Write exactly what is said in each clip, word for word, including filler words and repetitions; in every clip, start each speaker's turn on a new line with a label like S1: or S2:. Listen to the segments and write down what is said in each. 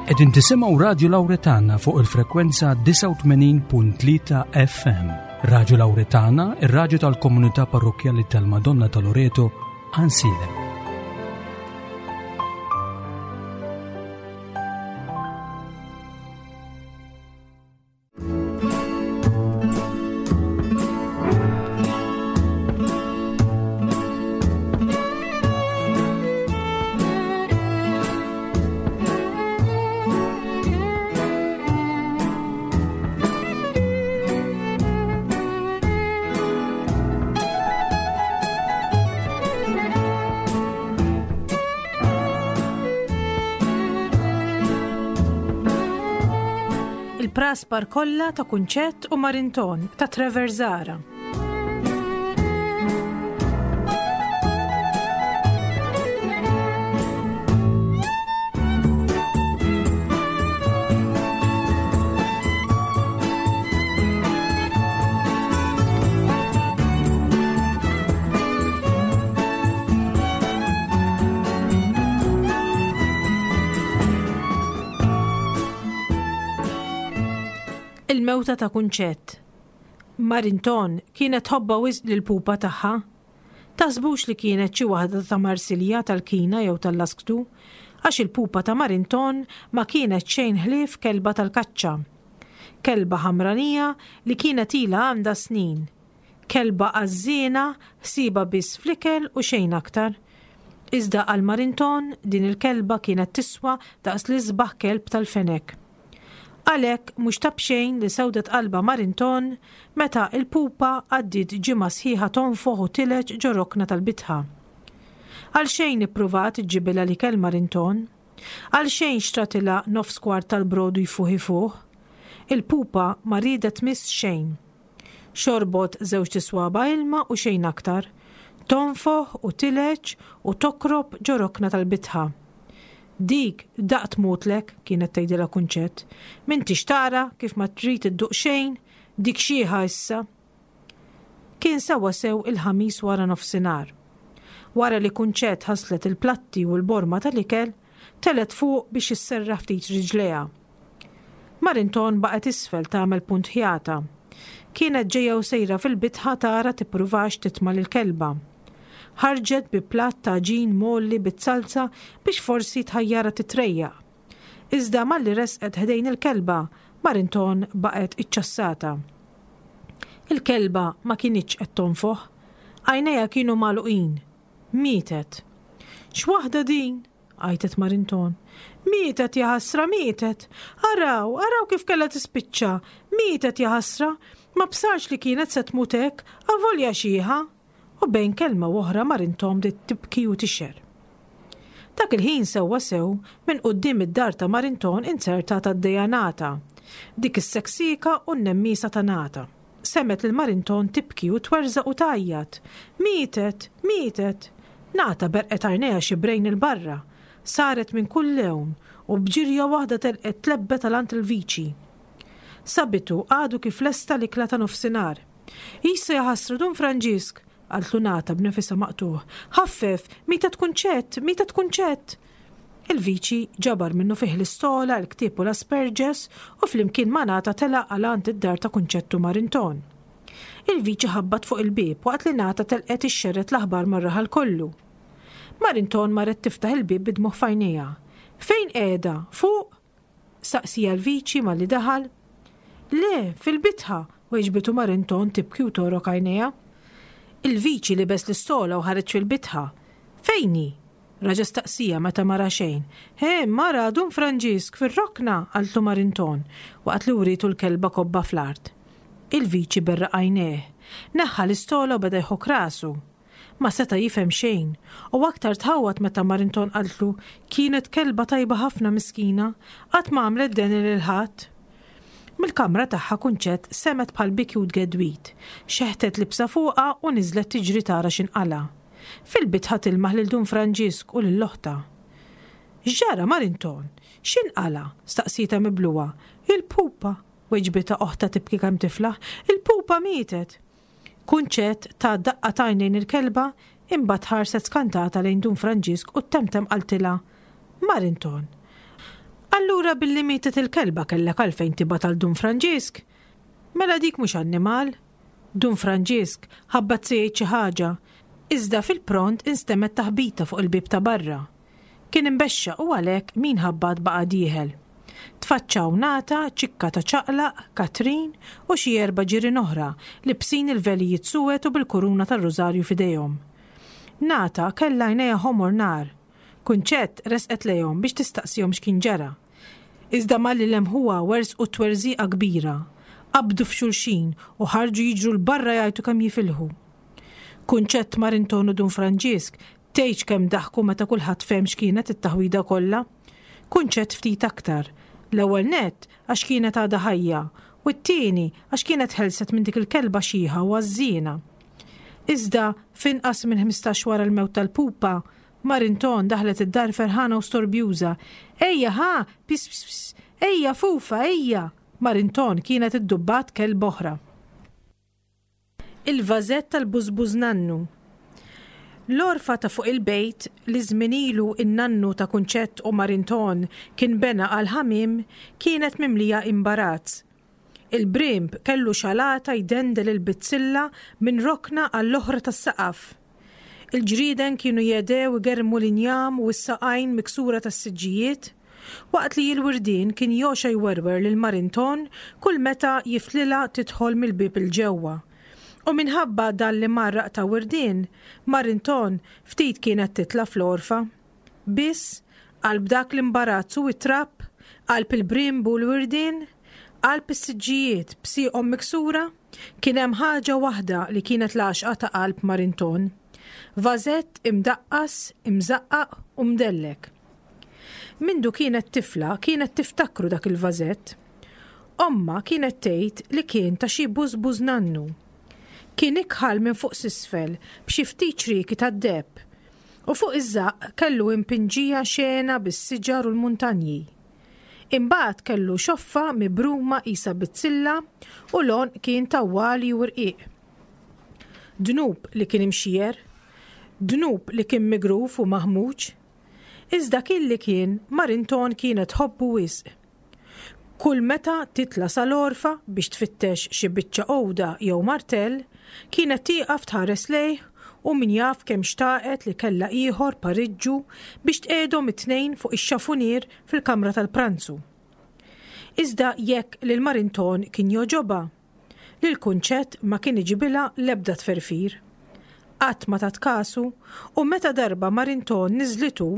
S1: Qegħdin tisimgħu Radio Lauretana fuq il-frekwenza disgħa u tmenin punt tlieta F M. Radio Lauretana, ir-radju tal-komunità parrokkjali tal-Madonna ta' Loreto, Għajnsielem.
S2: Il-praspar kollha ta' Kunċett u Marinton ta' Trevor Zahra. Il-mewta ta' Kunċett. Marinton kienet tħobbha wisq lil pupa tagħha. Taħsbux li kienet xi waħda ta' Marsilja, tal-Kina jew tal-Lasktu, għax il-pupa ta' Marinton ma kienet xejn ħlief kelba tal-kaċċa. Kelba ħamranija li kienet ilha għandha snin. Kelba għażżiena, ħsiebha biss fl-ikel u xejn aktar. Iżda għal Marinton din il-kelba kienet tiswa daqs l-isbaħ kelb tal-fenek. Għalhekk mhux ta' b'xejn li sewdet qalba Marinton meta il-pupa għaddiet ġimgħa sħiħa tonfoħ u tileġ ġo rokna tal-bitħa. Għal xejn ippruvat iġġibilha l-ikel Marinton, għal xejn xtratilha nofs kwart tal-brodu jfuħ ifuħ, il-pupa ma riedet tmiss xejn. Xorbot żewġ tiswaba ilma u xejn aktar, tonfoħ u tileġ u tokrob ġo rokna tal-bitħa. Dik daqt tmutlek, kienet tgħidilha Kunċett. M'intix tara kif ma trid idduq xejn, dik xieħa issa. Kien sewwa sew il-Ħamis wara nofsinhar. Wara li Kunċett ħaslet il-platti u l-borma tal-ikel, telgħet fuq biex isserraħ ftit riġlejha. Marinton baqgħet isfel tagħmel punt ħjata. Kienet ġejja u sejra fil-bitħa tara tippruvax titma' lill-kelba. Ħarġet bi platt ta' għaġin mgħolli bit-salza biex forsi tħajjara titrejjaq. Iżda malli resqet ħdejn il-kelba, Marinton baqgħet iċċassata. Il-kelba ma kinitx qed tonfoħ, għajnejha kienu magħluqin. Mietet. X'waħda din? Għajtet Marinton. Mietet jaħasra, mietet. Araw, araw kif kellha tispiċċa. Mietet jaħasra, ma bsarx li kienet se tmut hekk, avolja xieħa. U bejn kelma u oħra Marinton bdiet tibki u tixher. Dak il-ħin sewwa sew minn quddiem id-dar ta' Marinton inzertat għaddejja Nata. Dik is-seksika u n-nemmisa ta' Nata. Semgħet lil Marinton tibki u twerżaq u tgħajjat. Mietet, mietet. Nata berqet għajnejha xibrejn 'il barra. Saret minn kull lewn u b'ġirja waħda telqet tlebbet għal għand il-viċi. Sabitu għadu kif lesta l-ikla ta' nofsinhar. Issa jaħasra Dun Franġisk, qaltlu Nata b'nifisha maqtugħ. Ħaffef, mietet Kunċett, mietet Kunċett. Il-viċi ġabar minnufih l-istola, l-ktieb u l-asperġes u flimkien ma' Nata telaq għal għand id-dar ta' Kunċett u Marinton. Il-viċi ħabbat fuq il-bieb waqt li Nata telqet ixxerred l-aħbar mar-raħal kollu. Marinton marret tiftaħ il-bieb bid-dmugħ f'għajnejha. Fejn qiegħda? Fuq? Saqsieha l-viċi malli daħal. Le, fil-bitħa, weġbitu Marinton tibki u togħrok għajnejha. Il-viċi libes l-istola u ħareġ fil-bitħa. Fejn hi? Raġa staqsieha meta ma ra xejn. He, mara, Dun Franġisk, fir-rokna, qaltlu Marinton, waqt li wrietu l-kelba kobba fl-art. Il-viċi berraq għajnejh. Neħħa l-istola u beda jħok rasu. Ma seta' jifhem xejn, u aktar tħawwad meta Marinton qaltlu kienet kelba tajba ħafna miskina, qatt ma għamlet deni lil ħadd. Mill-kamra tagħha Kunċett semgħet bħal biki u tgedwit, xeħtet libsa fuqha u niżlet tiġri tara x'inqala. Fil-bitħa tilmaħ lil Dun Franġisk u lil oħtha. X'ġara Marinton? X'inqala? Staqsietha miblugħa. Il-pupa, weġbitha oħtha tibki kemm tiflaħ, il-pupa mietet. Kunċett tat daqqa t'għajn lejn il-kelba, imbagħad ħarset skantata lejn Dun Franġisk u temtem qaltilha Marinton. Allura billi mietet il-kelba kellek għalfejn tibgħat għal Dun Franġisk? Mela dik mhux annimal. Dun Franġisk ħabbat se jgħid xi ħaġa, iżda fil-pront instemgħet taħbita fuq il-bieb ta' barra. Kien imbexxaq u għalhekk min ħabbat baqa' dieħel. Tfaċċaw Nata, Ċikka ta' Ċaqlaq, Katrin u xi erba' ġirien oħra libsin il-velijiet suwed u bil-kuruna tar-rużarju f'idejhom. Nata kellha għajnejha ħomor nar. Kunċett resqet lejhom biex tistaqsihom x'kien ġara. Iżda malli lemħuha werżqu twerżiqa kbira. Qabdu f'xulxin u ħarġu jiġru 'l barra jgħajtu kemm jifilħu. Kunċett Marinton u Dun Franġisk tgħidx kemm daħku meta kulħadd fehem x'kienet it-taħwida kollha. Kunċett ftit aktar. L-ewwel nett għax kienet għadha ħajja u t-tieni għax kienet ħelset minn dik il-kelba xiħa u għażżiena. Iżda f'inqas minn ħmistax wara l-mewt tal-pupa, Marinton daħlet id-dar ferħana u storbjuża. Ejja ħa, pis pis pis, ejja Fufa, ejja! Marinton kienet iddubbat kelb oħra. Il-vażett tal-bużbuż nannu. L-għorfa ta' fuq il-bejt li żmien ilu n-nannu ta' Kunċett u Marinton kien bena għall-ħamiem kienet mimlija imbarazz. Il-brimb kellu xalata jdendel il-bizzilla minn rokna għall-oħra tas-saqaf. Il-ġrieden kienu jedew igerrmu l-injam u s-saqajn miksura tas-siġġijiet, waqt li l-wirdien kien joxa jwerwer lil Marinton kull meta jiftlilha tidħol mill-bieb 'il ġewwa. U minħabba dan li marraq ta' wirdien, Marinton ftit kienet titla' fl-għorfa. Biss, qalb dak l-imbarazz u t-trab, qalb il-brimb u l-wirdien, qalb is-siġġijiet b'sieqhom miksura, kien hemm ħaġa waħda li kienet l-għaxqa ta' qalb Marinton. Vażett imdaqqas, imżaqqaq u mdellek. Mindu kienet tifla kienet tiftakru dak il-vażett. Ommha kienet tgħid li kien ta' xi bużbuż nannu. Kien ikħal minn fuq s'isfel b'xi ftit ċrieki tad-deheb u fuq iż-żaqq kellu impinġija xena bis-siġar u l-muntanji. Imbagħad kellu xoffa mibruma qisha bizzilla u l-għonq kien tawwali u rqiq. Dnub li kien imxier, dnub li kien migruf u maħmuġ, iżda kien li kien Marinton kienet tħobbu wisq. Kull meta titla' sal-għorfa biex tfittex xi biċċa għuda jew martell, kienet tieqaf tħares lejh u min jaf kemm xtaqet li kellha ieħor pariġġu biex tqiegħdhom it-tnejn fuq ix-xafunier fil-kamra tal-pranzu. Iżda jekk lil Marinton kien jogħġobha, lil Kunċett ma kien iġibilha l-ebda tferfir. Qatt ma tat kasu u meta darba Marinton niżlitu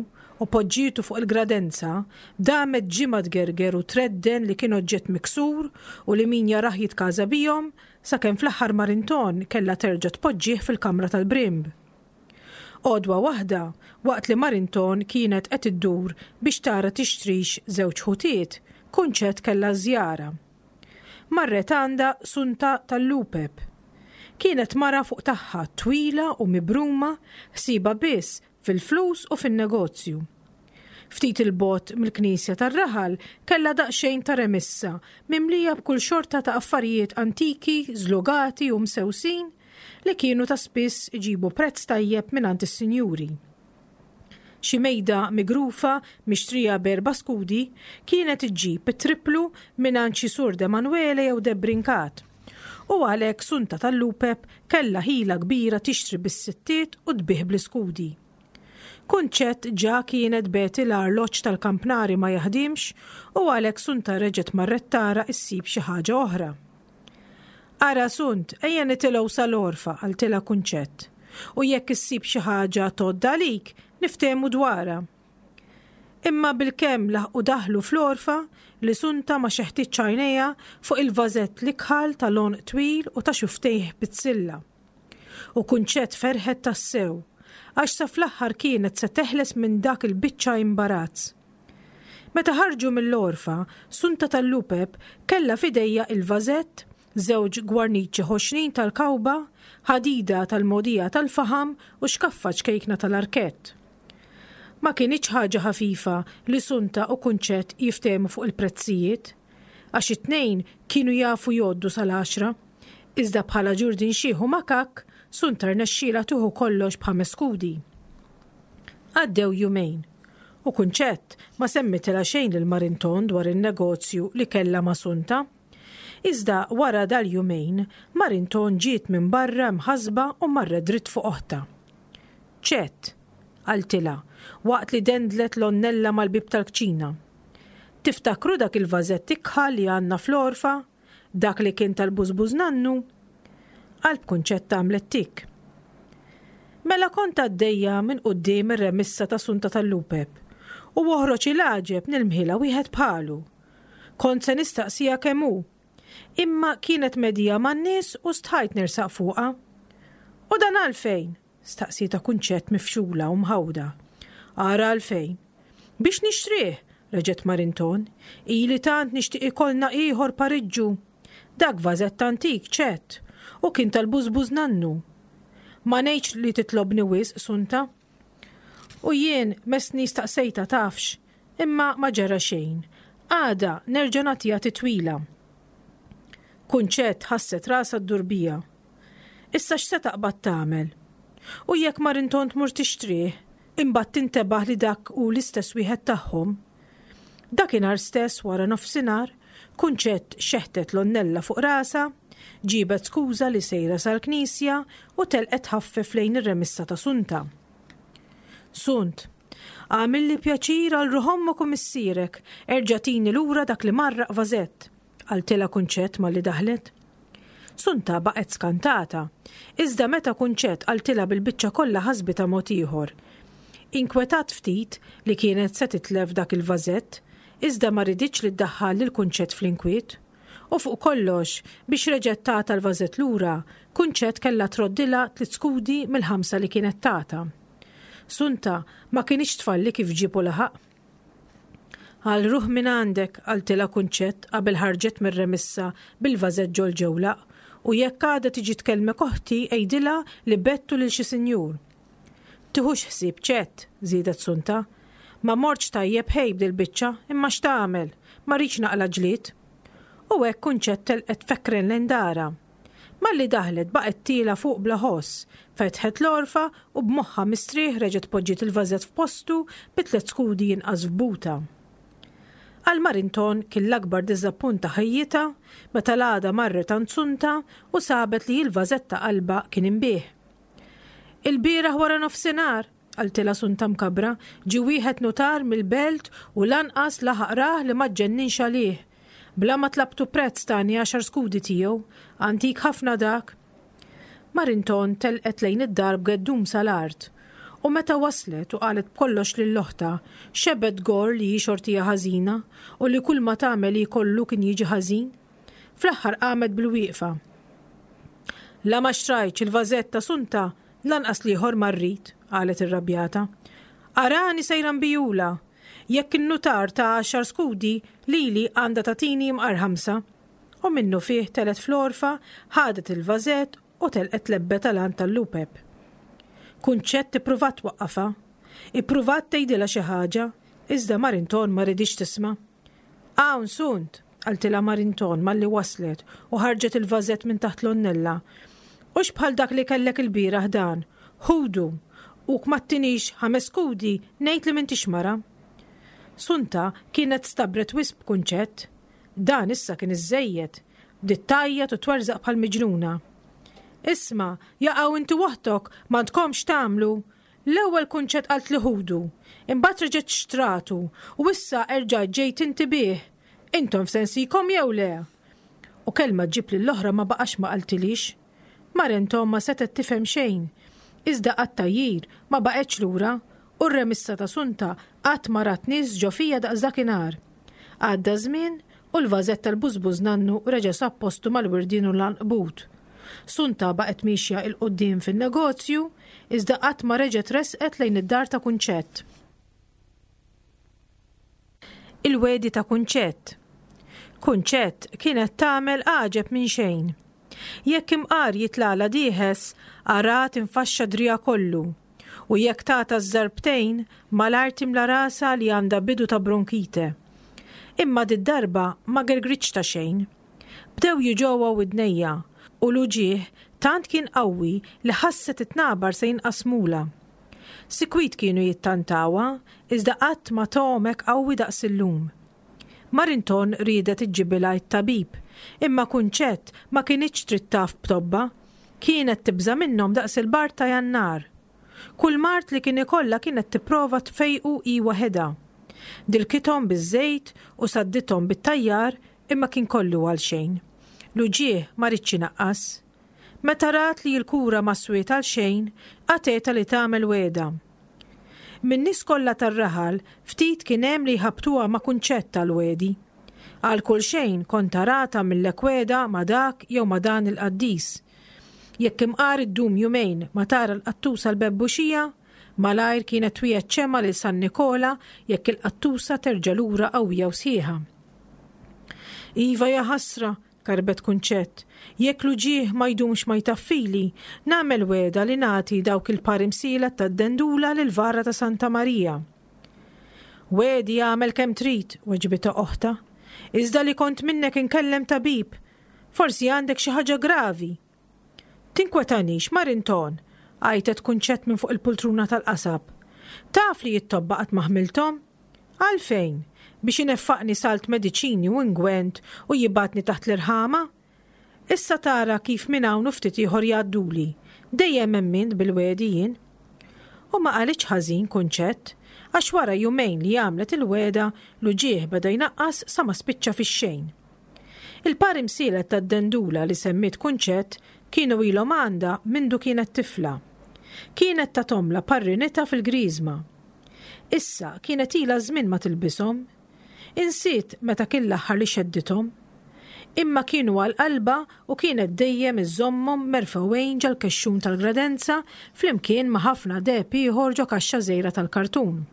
S2: u poġġietu fuq il-gradenza, damet ġimgħa tgerger u tredden li kien oġġett miksur u li min jarah jitkaża bihom, sakemm fl-aħħar Marinton kellha terġa' tpoġġih fil-kamra tal-brimb. Għodwa waħda, waqt li Marinton kienet qed iddur biex tara tixtrix żewġ ħutiet, Kunċett kellha żjara. Marret għandha Sunta tal-Lupep. Kienet mara fuq tagħha twila u mibruma, ħsiebha biss fil-flus u fin-negozju. Ftit 'il bogħod mill-knisja tar-raħal kellha daqsxejn ta' remissa mimlija b'kull xorta ta' affarijiet antiki, żlugati u msewsin li kienu ta' spiss iġibu prezz tajjeb mingħand is-sinjuri. Xi mejda migrufa mixtrija b'erba' skudi kienet iġġib it-triplu mingħand xi Sur Demanuele jew Debrincat. U għalhekk Sunta tal-Lupep kellha ħila kbira tixtri bis-sittiet u tbigħ bl-iskudi. Kunċett ġa kienet beti l-arloġġ tal-kampnari ma jaħdimx u għalhekk Sunta reġgħet marret tara issib xi ħaġa oħra. Ara Sunt, ejja nitilgħu sal-għorfa, qaltilha Kunċett. U jekk issib xi ħaġa tgħodd għalik, niftehmu dwarha. Imma bilkemm laħqu daħlu fl-għorfa li Sunta ma xeħtitx għajnejha fuq il-vażett l-ikħal tal-għonq twil u ta' xuftejh bizzilla. U Kunċett ferħet tassew, għax sa fl-aħħar kienet se teħles minn dak il-biċċa imbarazz. Meta ħarġu mill-għorfa, Sunta tal-Lupep kellha f'idejha il-vażett, żewġ gwarniċi ħoxnin tal-kawba, ħadida tal-mogħdija tal-faħam u xkaffa ċkejkna tal-arkett. Ma kinitx ħaġa ħafifa li Sunta u Kunċett jiftehmu fuq il-prezzijiet, għax it-tnejn kienu jafu jgħoddu sal-għaxra, iżda bħala ġurdin xiħ u makakk, Sunta rnexxielha tieħu kollox b'ħames skudi. Għaddew jumejn, U Kunċett ma semmitilha xejn lil Marinton dwar in-negozju li kellha ma' Sunta. Iżda wara dal-jumejn, Marinton ġiet minn barra mħassba u marret dritt fuq oħtha. Ċett, qaltilha, waqt li dendlet l-onnella mal-bieb tal-kċina. Tiftakru dak il-vażett ikħal li għandna fl-għorfa? Dak li kien tal-bużbuż nannu? Qalb Kunċetta għamlet tik. Mela kont għaddejja minn quddiem ir-remissa ta' Sunta tal-Lupep u oħroġ il-għaġeb nilmħilha wieħed bħalu. Kont se nistaqsiha kemm hu, imma kienet medija man-nies u stħajt nersaq fuqha. U dan għalfejn? Staqsietha Kunċett mifxula u mħawda. Ara għalfejn. Biex nixtrih, reġgħet Marinton, ili tant nixtieq ikollna ieħor pariġġu. Dak vażett antik, ċett, u kien tal-bużbuż nannu. Ma ngħidx li titlobni wisq, Sunta. U jien messni staqsejta tafx, imma ma ġara xejn. Għada nerġa' nagħtiha titwila. Kunċett ħasset rasha ddur biha. Issa x'se taqbad tagħmel? U jekk Marinton tmur tixtrih, imbagħad tintebaħ li dak hu l-istess wieħed tagħhom. Dakinhar stess wara nofsinhar, Kunċett xeħtet l-onnella fuq rasha, ġibet skuża li sejra sal-knisja u telqet ħaffef lejn ir-remissa ta' Sunta. Sunt, għamilli pjaċir għal ruħ ommok u missierek, erġa' tini lura dak li marraq vażett, qaltilha Kunċett malli daħlet. Sunta baqgħet skantata, iżda meta Kunċett qaltilha bil-biċċa kollha ħasbitha mod ieħor. Inkwetat ftit li kienet se titlef dak il-vażett, iżda ma riditx li ddaħħal lil Kunċett fl-inkwiet. U fuq kollox, biex reġgħet tata l-vażett lura, Kunċett kellha troddilha tliet skudi mill-ħamsa li kienet tata. Sunta ma kinitx tfalli kif ġieb u laħaq. Għal ruħ minn għandek, qaltilha Kunċett qabel ħarġet mir-remissa bil-vażett ġol-ġewlaq, u jekk għada tiġi tkellmek oħti għidilha li bettu lil xi sinjur. Tiħux ħsieb ċett, żiedet Sunta. Ma mortx tajjeb ħej b'dil-biċċa, imma x'tagħmel, ma rridx naqla' ġlied. U hekk Kunċett telqet fekkren lejn darha. Malli daħlet baqgħet tiela' fuq bla ħoss, fetħet l-għorfa u b'moħħha mistrieħ reġgħet poġġiet il-vażett f'postu bi tliet skudi jinqas f'butha. Għal Marinton kien l-akbar diżappunt ta' ħajjitha meta l-għada marret għand Sunta u sabet li l-vażett ta' qalbha kien inbiegħ. Il-bieraħ wara nofsinhar, qaltilha Sunta mkabbra, ġie wieħed nutar mill-belt u lanqas laħaq rah li ma ġġenninx għalih. Bla ma tlabtu prezz tani għaxar skudi tiegħu, antik ħafna dak. Marinton telqet lejn id-dar b'geddum sal-art. U meta waslet u qalet b'kollox lil oħtha, xebgħet tgorr li hi xortija ħażina u li kull ma tagħmel hi kollu kien jiġi ħażin. Fl-aħħar qamet bil-wieqfa. La ma xtrajtx il-vażett ta' Sunta, lanqas l-ieħor ma rrid, qalet irrabjata. Arani sejra nbijula. Jekk in-nutar ta' għaxar skudi, lili għandha tagħtini imqar ħamsa. U minnu fih telgħet fl-għorfa, ħadet il-vażett u telqet lebbet għal għand tal-lupep. Kunċett ippruvat twaqqafha, ippruvat tgħidilha xi ħaġa, iżda Marinton ma riditx tisma'. Hawn Sunt, qaltilha Marinton malli waslet u ħarġet il-vażett minn taħt l-onnella. Hux bħal dak li kellek il-bieraħ dan, ħudu, u ma ttinix ħames skudi ngħid li m'intix mara. Sunta kienet stabret wisq b'Kunċett. Dan issa kien iżżejjed. Bdiet tgħajjat u twerżaq bħal miġnuna. Isma', jaqaw inti waħdok m'għandkomx tagħmlu. L-ewwel Kunċett qalt li ħudu, imbagħad reġgħet xtratu u issa erġajt ġejt inti bih. Intom f'sensikom jew le? U kelma ġġib lill-oħra ma baqax ma qaltilix. Marinton ma setgħet tifhem xejn. Iżda għat-tgħajjir ma baqgħetx lura u r-remissa ta' Sunta qatt ma rat nies ġo fija daqs dakinhar. Għadda żmien u l-vażett tal-bużbuż nannu reġa' sab postu mal-wirdien u l-għanqbut. Sunta baqgħet miexja 'l quddiem fin-negozju, iżda qatt ma reġgħet resqet lejn id-dar ta' Kunċett. Il-wegħdi ta' Kunċett. Kunċett kienet tagħmel għaġeb minn xejn. Jekk imqar jitlagħla dieħes, ara tinfaxxa driegħha kollu. U jekk tagħta żarbtejn, malajr timla rasha li għandha bidu ta' bronkite. Imma did-darba ma gergritx ta' xejn. Bdew jiġewha widnejha u l-uġigħ tant kien qawwi li ħasset it-tnabar se jinqasmula. Sikwit kienu jittantawha, iżda qatt ma togħomek qawwi daqs illum. Marinton riedet iġġibilha t-tabib, imma Kunċett ma kinitx trid taf b'tobba. Kienet tibża' minnhom daqs il-bard ta' Jannar. Kull mard li kien ikollha kienet tipprova tfejqu hi waħedha. Dilkithom biż-żejt u saddithom bit-tajjar imma kien kollu għalxejn. L-uġigħ ma riedx inaqqas. Meta rat li l-kura ma swiet għal xejn, qatgħetha li tagħmel wegħda. Min-nies kollha tar-raħal ftit kien hemm li jħabbtuha ma' Kunċett għall-wegħdi. Għal kull xejn kont taraha tagħmillek wegħda ma' dak jew ma' dan il-qaddis. Jekk imqar iddum jumejn ma tara l-qattusa l-bebbuxija, malajr kienet twiegħed ċemgħa lil San Nikola jekk il-qattusa terġa' lura qawwija u sħiħa. Iva jaħasra, karbet Kunċett, jekk l-uġigħ ma jdumx ma jtaffili, nagħmel wegħda li nagħti dawk il-par imsielet tad-dendula lill-vara ta' Santa Marija. Wegħdi agħmel kemm trid, weġbitha oħtha. Iżda li kont minnek inkellem tabib, forsi għandek xi ħaġa gravi. Tinkwetanix, Marinton, għajtet Kunċett minn fuq il-pultruna tal-qasab. Taf li t-tobba qatt ma ħmilthom? Għalfejn? Biex ineffaqni salt mediċini u ingwent u jibgħatni taħt l-irħama? Issa tara kif minn hawn u ftit ieħor jgħadduli. Dejjem emmint bil-wegħdi jien. U ma qalitx ħażin Kunċett, għax wara jumejn li għamlet il-wegħda l-uġigħ beda jnaqqas sa ma spiċċa fix-xejn. Il-par imsielet tad-dendula li semmiet Kunċett kienu ilhom għandha mindu kienet tifla. Kienet tathomlha parrinitha fil-griżma. Issa kienet ilha żmien ma tilbishom. Insiet meta kien l-aħħar li xeddithom. Imma kienu għal qalbha u kienet dejjem iżżommhom merfgħin ġol-kexxun tal-gradenza flimkien ma' ħafna deheb ieħor ġo kaxxa żgħira tal-kartun.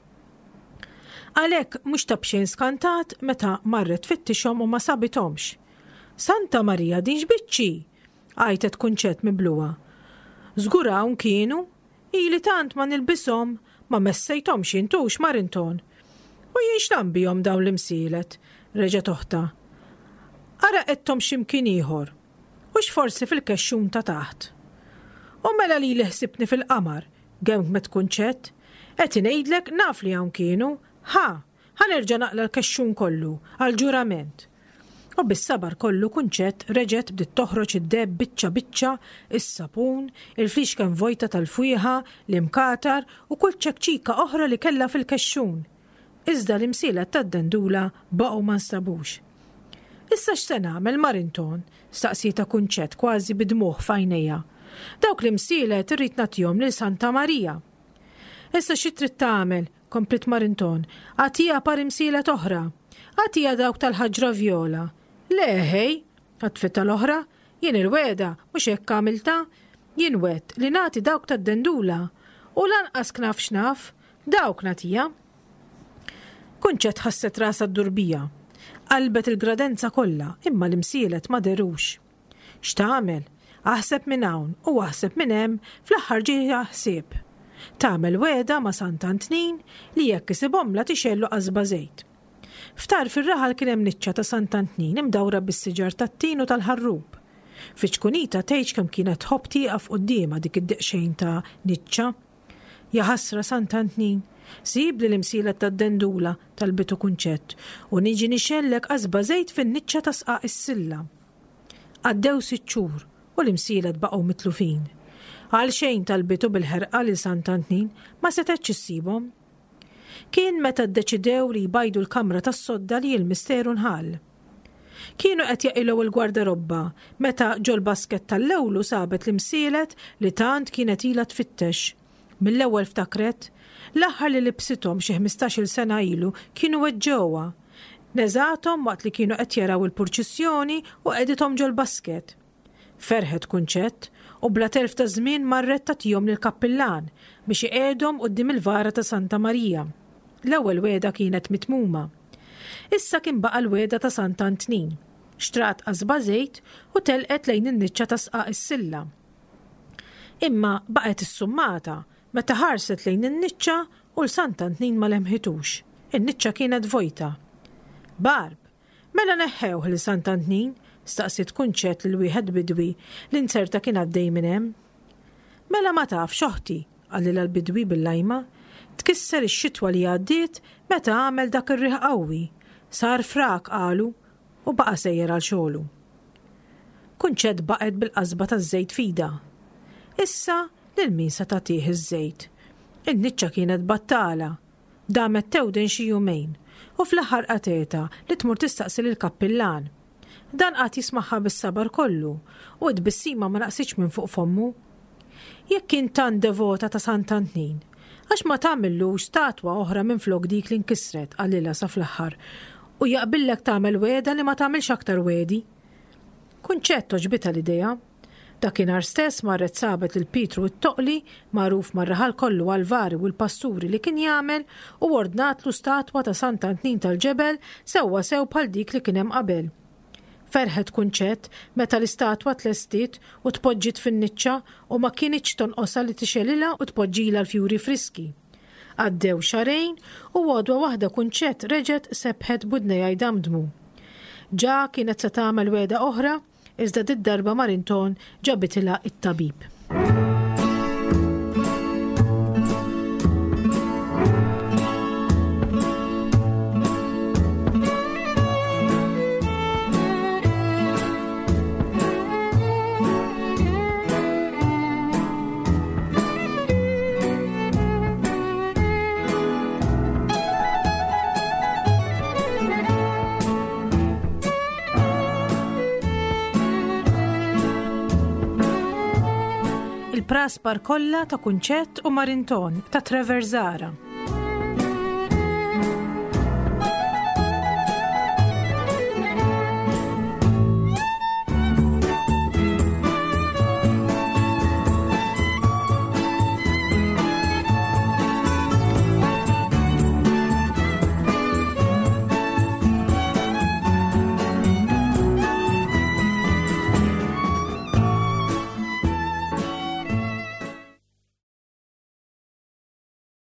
S2: Għalhekk mhux ta' b'xejn skantat meta marret tfittixhom u ma sabithomx. Santa Marija din x'biċċi! Għajtet Kunċett mibluha. Żgur hawn kienu, ili tant ma nilbishom, ma messejthomx intux Marinton. U jien x'nagħmel bihom dawn l-imsielet, reġgħet oħtha. Ara qegħedthom x'imkien ieħor, hux forsi fil-kexxun ta' taħt. U mela li li ħsibni fil-qamar, gemgmet Kunċett, qed ngħidlek naf li hawn kienu, ħa, ħa nerġa' naqla' l-kexxun kollu, għal-ġurament. U bis-sabar kollu Kunċett reġgħet bdiet toħroġ id-deheb biċċa biċċa, is-sapun, il-flixken vojta tal-fwieħa, l-imkatar u kull ċekċika oħra li kellha fil-kexxun. Iżda l-imsielet tad-dendula baqgħu ma nstabux. Issa x'se nagħmel Marinton? Staqsietha Kunċett kważi bid-dmugħ f'għajnejha. Dawk l-imsielet irrid nagħtihom lil Santa Marija. Issa xi trid tagħmel? Kompliet Marinton. Agħtiha par imsielet oħra. Agħtiha dawk tal-ħaġra vjola. Le ħej, għatfitha l-oħra, jien il-wegħda mhux hekk għamiltha, jien wegħedt li nagħti dawk tad-dendula u lanqas knaf x'naf, dawk nagħtiha. Kunċett ħasset rasha ddur biha. Qalbet il-gradenza kollha, imma l-imsielet ma dherux. X'tagħmel? Aħseb minn hawn u aħseb minn hemm, fl-aħħar ġieha ħsieb. Tagħmel wegħda ma' Sant'Antnin li jekk isibhomlha tixgħellu qasba żejt. F'tarf ir-raħal kien hemm niċċa ta' Sant'Antnin imdawra bis-siġar tat-tin u tal-ħarrub. Fi ċkunita tgħidx kemm kienet tħobb tieqaf quddiemha dik id-deqxejn ta' niċċa. Ja ħasra Sant'Antnin, sibli l-imsielet tad-dendula talbitu Kunċett u niġi nixgħellek qasba żejt fin-niċċa ta' sqaq is-silla. Għaddew sitt xhur u l-imsielet baqgħu mitlufin. Għal xejn talbitu bil-ħerqa lil Sant'Antnin ma setgħetx issibhom. Kien meta ddeċidew li jbajdu l-kamra tas-sodda li l-misteru nħall. Kienu qed jaqilgħu l-gwardarobba meta ġol-basket tal-lewlu sabet l-imsielet li tant kienet ilha tfittex. Mill-ewwel ftakret, l-aħħar li libsithom xi ħmistax-il sena ilu kienu weġġewha. Neżathom waqt li kienu qed jaraw il-purċissjoni u qegħdithom ġol-basket. Ferħet Kunċett u bla telf ta' żmien marret tagħtihom lill-kappillan biex iqiegħdhom quddiem il-vara ta' Santa Marija. L-ewwel wegħda kienet mitmuma. Issa kien baqa' l-wegħda ta' Sant'Antnin. Xtrat qasba żejt u telqet lejn in-niċċa ta' sqaq is-silla. Imma baqgħet issummata meta ħarset lejn in-niċċa u l-Sant'Antnin ma lemħitux. In-niċċa kienet vojta. Barb, mela neħħewh lil Sant'Antnin? Staqsiet Kunċett lil wieħed bidwi li nzerta kien għaddej minn hemm. Mela ma tafx oħti, qalilha l-bidwi bil-lajma. Tkisser ix-xitwa li għaddiet meta għamel dak ir-riħ qawwi. Sar frak qalu u baqa' sejjer għal xogħlu. Kunċett baqgħet bil-qasba taż-żejt f'idha. Issa lil min se tagħtih iż-żejt? In-niċċa kienet battala. Damet tewden xi jumejn u fl-aħħar qatgħetha li tmur tistaqsi lill-kappillan. Dan qagħad jismagħha bis-sabar kollu u t-tbissima ma naqsitx minn fuq fommu. Jekk int tant devota ta' Sant'Antnin, għax ma tagħmillux statwa oħra minflok dik li nkisret, qalilha sa fl-aħħar, u jaqbillek tagħmel wegħda li ma tagħmilx aktar wegħdi. Kunċett għoġbitha l-idea. Dakinhar stess marret sabet lil Pietru t-Toqli, magħruf mar-raħal kollu għall-vari u l-pasturi li kien jagħmel, u ordnatlu statwa ta' Sant'Antnin tal-ġebel sewwa sew bħal dik li kien hemm qabel. Ferħet Kunċett meta l-istatwa tlestiet u tpoġġiet fin-niċċa u ma kinitx tonqosha li tixgħelilha u tpoġġilha l-fjuri friski. Għaddew xahrejn u għodwa waħda Kunċett reġgħet sebħet b'widnejha jdamdmu. Ġa kienet se tagħmel wegħda oħra iżda did-darba Marinton ġabitilha it-tabib. Il-praspar kollha ta' Kunċett u Marinton ta' Trevor Zara.